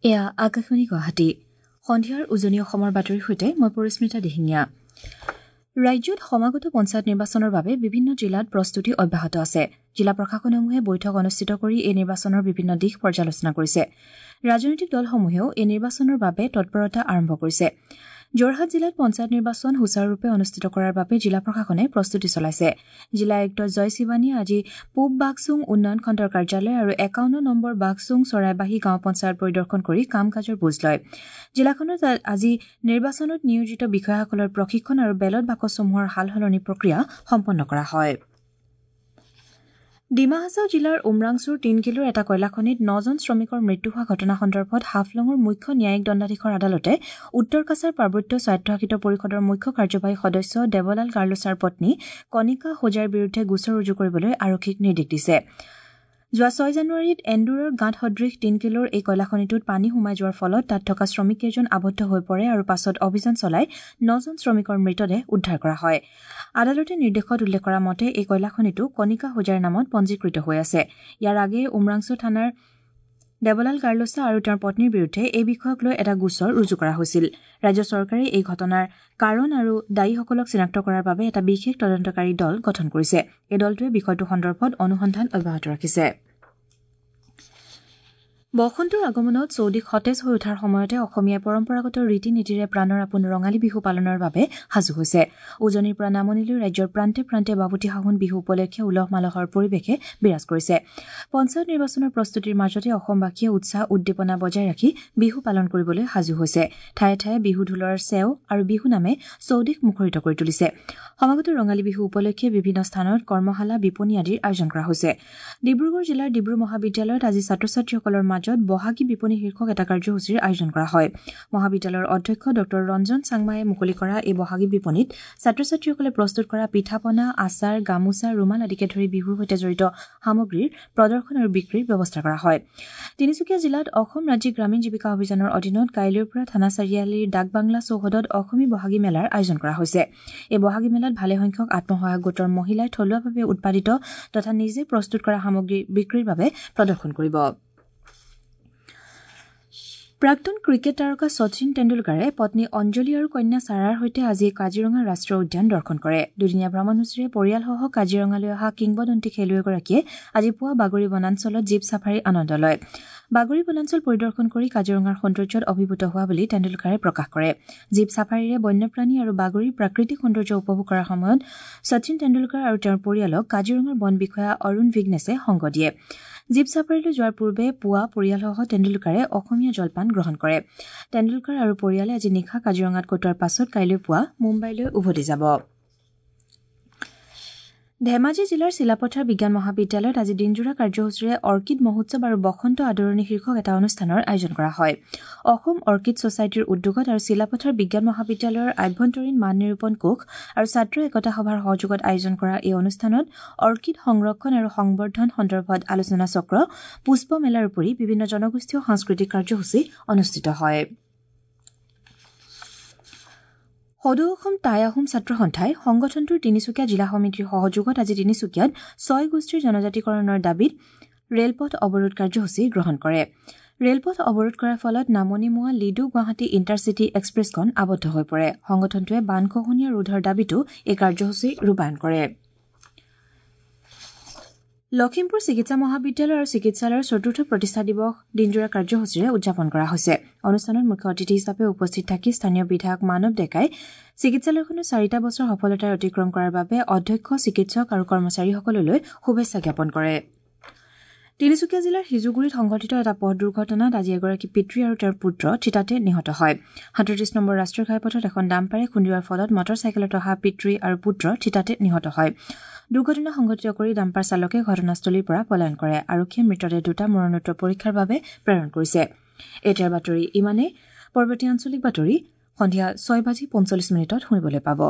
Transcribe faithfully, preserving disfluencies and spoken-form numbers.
এয়া আকাশবাণী গুৱাহাটী। সন্ধিয়াৰ উজনি অসমৰ বাতৰিৰ সৈতে মই পৰিস্মিতা দিহিঙীয়া। ৰাজ্যত সমাগত পঞ্চায়ত নিৰ্বাচনৰ বাবে বিভিন্ন জিলাত প্ৰস্তুতি অব্যাহত আছে। জিলা প্ৰশাসনসমূহে বৈঠক অনুষ্ঠিত কৰি এই নিৰ্বাচনৰ বিভিন্ন দিশ পৰ্যালোচনা কৰিছে। ৰাজনৈতিক দলসমূহেও এই নিৰ্বাচনৰ বাবে তৎপৰতা আৰম্ভ কৰিছে। যোৰহাট জিলাত পঞ্চায়ত নিৰ্বাচন সুচাৰুৰূপে অনুষ্ঠিত কৰাৰ বাবে জিলা প্ৰশাসনে প্ৰস্তুতি চলাইছে। জিলা আয়ুক্ত জয় শিৱানীয়ে আজি পূব বাঘচুং উন্নয়ন খণ্ডৰ কাৰ্যালয় আৰু একাৱন্ন নম্বৰ বাঘচুং চৰাইবাহী গাঁও পঞ্চায়ত পৰিদৰ্শন কৰি কাম কাজৰ বুজ লয়। জিলাখনত আজি নিৰ্বাচনত নিয়োজিত বিষয়াসকলৰ প্ৰশিক্ষণ আৰু বেলট বাকচসমূহৰ সাল সলনি প্ৰক্ৰিয়া সম্পন্ন কৰা হয়। ডিমা হাছাও জিলাৰ উমৰাংচুৰ তিনকিলোৰ এটা কয়লাখনিত নজন শ্ৰমিকৰ মৃত্যু হোৱা ঘটনা সন্দৰ্ভত হাফলঙৰ মুখ্য ন্যায়িক দণ্ডাধীশৰ আদালতে উত্তৰ কাছাৰ পাৰ্বত্য স্বায়ত্তশাসিত পৰিষদৰ মুখ্য কাৰ্যবাহী সদস্য দেৱলাল গাৰ্লোচাৰ পত্নী কণিকা হোজাইৰ বিৰুদ্ধে গোচৰ ৰুজু কৰিবলৈ আৰক্ষীক নিৰ্দেশ দিছে। যোৱা ছয় জানুৱাৰীত এন্দুৰৰ গাঁত সদৃশ তিনকিলোৰ এই কয়লাখনিটোত পানী সোমাই যোৱাৰ ফলত তাত থকা শ্ৰমিককেইজন আবদ্ধ হৈ পৰে আৰু পাছত অভিযান চলাই নজন শ্ৰমিকৰ মৃতদেহ উদ্ধাৰ কৰা হয়। আদালতে নিৰ্দেশত উল্লেখ কৰা মতে এই কয়লাখনিটো কণিকা হোজাইৰ নামত পঞ্জীকৃত হৈ আছে। ইয়াৰ আগেয়ে উমৰাংচু থানাৰ দেৱলাল গাৰ্লোচা আৰু তেওঁৰ পত্নীৰ বিৰুদ্ধে এই বিষয়ক লৈ এটা গোচৰ ৰুজু কৰা হৈছিল। ৰাজ্য চৰকাৰে এই ঘটনাৰ কাৰণ আৰু দায়ীসকলক চিনাক্ত কৰাৰ বাবে এটা বিশেষ তদন্তকাৰী দল গঠন কৰিছে। এই দলটোৱে বিষয়টো সন্দৰ্ভত অনুসন্ধান অব্যাহত ৰাখিছে। বসন্তৰ আগমনত চৌদিশ সতেজ হৈ উঠাৰ সময়তে অসমীয়াই পৰম্পৰাগত ৰীতি নীতিৰে প্ৰাণৰ আপোন ৰঙালী বিহু পালনৰ বাবে সাজু হৈছে। উজনিৰ পৰা নামনিলৈ ৰাজ্যৰ প্ৰান্তে প্ৰান্তে বাপুতি সাহোন বিহু উপলক্ষে উলহ মালহৰ পৰিৱেশে বিৰাজ কৰিছে। পঞ্চায়ত নিৰ্বাচনৰ প্ৰস্তুতিৰ মাজতে অসমবাসীয়ে উৎসাহ উদ্দীপনা বজাই ৰাখি বিহু পালন কৰিবলৈ সাজু হৈছে। ঠায়ে ঠায়ে বিহু ঢোলৰ চেও আৰু বিহু নামে চৌদিশ মুখৰিত কৰি তুলিছে। সমাগত ৰঙালী বিহু উপলক্ষে বিভিন্ন স্থানত কৰ্মশালা, বিপণী আদিৰ আয়োজন কৰা হৈছে। ডিব্ৰুগড় জিলাৰ ডিব্ৰু মহাবিদ্যালয়ত আজি ছাত্ৰ ছাত্ৰীসকলৰ মাজত বহাগী বিপণী শীৰ্ষক এটা কাৰ্যসূচীৰ আয়োজন কৰা হয়। মহাবিদ্যালয়ৰ অধ্যক্ষ ডঃ ৰঞ্জন চাংমায়ে মুকলি কৰা এই বহাগী বিপণীত ছাত্ৰ ছাত্ৰীসকলে প্ৰস্তুত কৰা পিঠা পনা, আচাৰ, গামোচা, ৰুমাল আদিকে ধৰি বিহুৰ সৈতে জড়িত সামগ্ৰীৰ প্ৰদৰ্শন আৰু বিক্ৰীৰ ব্যৱস্থা কৰা হয়। তিনিচুকীয়া জিলাত অসম ৰাজ্যিক গ্ৰামীণ জীৱিকা অভিযানৰ অধীনত কাইলৈৰ পৰা থানা চাৰিআলিৰ ডাকবাংলা চৌহদত অসমী বহাগী মেলাৰ আয়োজন কৰা হৈছে। এই বহাগী মেলাত ভালেসংখ্যক আত্মসহায়ক গোটৰ মহিলাই থলুৱাভাৱে উৎপাদিত তথা নিজে প্ৰস্তুত কৰা সামগ্ৰী বিক্ৰীৰ বাবে প্ৰদৰ্শন কৰিব। প্ৰাক্তন ক্ৰিকেট তাৰকা শচীন টেণ্ডুলকাৰে পত্নী অঞ্জলি আৰু কন্যা ছাৰাৰ সৈতে আজি কাজিৰঙা ৰাষ্ট্ৰীয় উদ্যান দৰ্শন কৰে। দুদিনীয়া ভ্ৰমণসূচীৰে পৰিয়ালসহ কাজিৰঙালৈ অহা কিংবদন্তি খেলুৱৈগৰাকীয়ে আজি পুৱা বাগৰি বনাঞ্চলত জীপ ছাফাৰীৰ আনন্দ লয়। বাগৰি বনাঞ্চল পৰিদৰ্শন কৰি কাজিৰঙাৰ সৌন্দৰ্যত অভিভূত হোৱা বুলি টেণ্ডুলকাৰে প্ৰকাশ কৰে। জীপ ছাফাৰীৰে বন্যপ্ৰাণী আৰু বাগৰিৰ প্ৰাকৃতিক সৌন্দৰ্য উপভোগ কৰাৰ সময়ত শচীন টেণ্ডুলকাৰ আৰু তেওঁৰ পৰিয়ালক কাজিৰঙাৰ বন বিষয়া অৰুণ ভিগনেছে সংগ দিয়ে। জীপ ছাফাৰীলৈ যোৱাৰ পূৰ্বে পুৱা পৰিয়ালসহ টেণ্ডুলকাৰে অসমীয়া জলপান গ্ৰহণ কৰে। টেণ্ডুলকাৰ আৰু পৰিয়ালে আজি নিশা কাজিৰঙাত কটোৱাৰ পাছত কাইলৈ পুৱা মুম্বাইলৈ উভতি যাব। ধেমাজি জিলাৰ চিলাপথাৰ বিজ্ঞান মহাবিদ্যালয়ত আজি দিনজোৰা কাৰ্যসূচীৰে অৰ্কিড মহোৎসৱ আৰু বসন্ত আদৰণি শীৰ্ষক এটা অনুষ্ঠানৰ আয়োজন কৰা হয়। অসম অৰ্কিড ছচাইটিৰ উদ্যোগত আৰু চিলাপথাৰ বিজ্ঞান মহাবিদ্যালয়ৰ আভ্যন্তৰীণ মান নিৰূপণ কোষ আৰু ছাত্ৰ একতা সভাৰ সহযোগত আয়োজন কৰা এই অনুষ্ঠানত অৰ্কিড সংৰক্ষণ আৰু সংবৰ্ধন সন্দৰ্ভত আলোচনা চক্ৰ, পুষ্প মেলাৰ উপৰি বিভিন্ন জনগোষ্ঠীয় সাংস্কৃতিক কাৰ্যসূচী অনুষ্ঠিত হয়। সদৌ অসম টাই আহোম ছাত্ৰ সন্থাই সংগঠনটোৰ তিনিচুকীয়া জিলা সমিতিৰ সহযোগত আজি তিনিচুকীয়াত ছয় গোষ্ঠীৰ জনজাতিকৰণৰ দাবীত ৰেলপথ অৱৰোধ কাৰ্যসূচী গ্ৰহণ কৰে। ৰেলপথ অৱৰোধ কৰাৰ ফলত নামনিমুৱা লিডু গুৱাহাটী ইণ্টাৰচিটি এক্সপ্ৰেছখন আবদ্ধ হৈ পৰে। সংগঠনটোৱে বানখহনীয়া ৰোধৰ দাবীতো এই কাৰ্যসূচী ৰূপায়ণ কৰে। লখিমপুৰ চিকিৎসা মহাবিদ্যালয় আৰু চিকিৎসালয়ৰ চতুৰ্থ প্ৰতিষ্ঠা দিৱস দিনজোৰা কাৰ্যসূচীৰে উদযাপন কৰা হৈছে। অনুষ্ঠানত মুখ্য অতিথি হিচাপে উপস্থিত থাকি স্থানীয় বিধায়ক মানৱ ডেকাই চিকিৎসালয়খনৰ চাৰিটা বছৰ সফলতাৰে অতিক্ৰম কৰাৰ বাবে অধ্যক্ষ, চিকিৎসক আৰু কৰ্মচাৰীসকললৈ শুভেচ্ছা জ্ঞাপন কৰে। তিনিচুকীয়া জিলাৰ সিজুগুৰিত সংঘটিত এটা পথ দুৰ্ঘটনাত আজি এগৰাকী পিতৃ আৰু তেওঁৰ পুত্ৰ থিতাতে নিহত হয়। সাতত্ৰিশ নম্বৰ ৰাষ্ট্ৰীয় ঘাইপথত এখন ডাম্পাৰে খুন্দিওৱাৰ ফলত মটৰ চাইকেলত অহা পিতৃ আৰু পুত্ৰ থিতাতে নিহত হয়। দুৰ্ঘটনা সংঘটিত কৰি ডাম্পাৰ চালকে ঘটনাস্থলীৰ পৰা পলায়ন কৰে। আৰক্ষীয়ে মৃতদেহ দুটা মৰণোত্তৰ পৰীক্ষাৰ বাবে প্ৰেৰণ কৰিছে। এতিয়াৰ বাতৰি ইমানেই। পৰৱৰ্তী আঞ্চলিক বাতৰি সন্ধিয়া ছয় বাজি পঞ্চল্লিছ মিনিটত শুনিবলৈ পাব।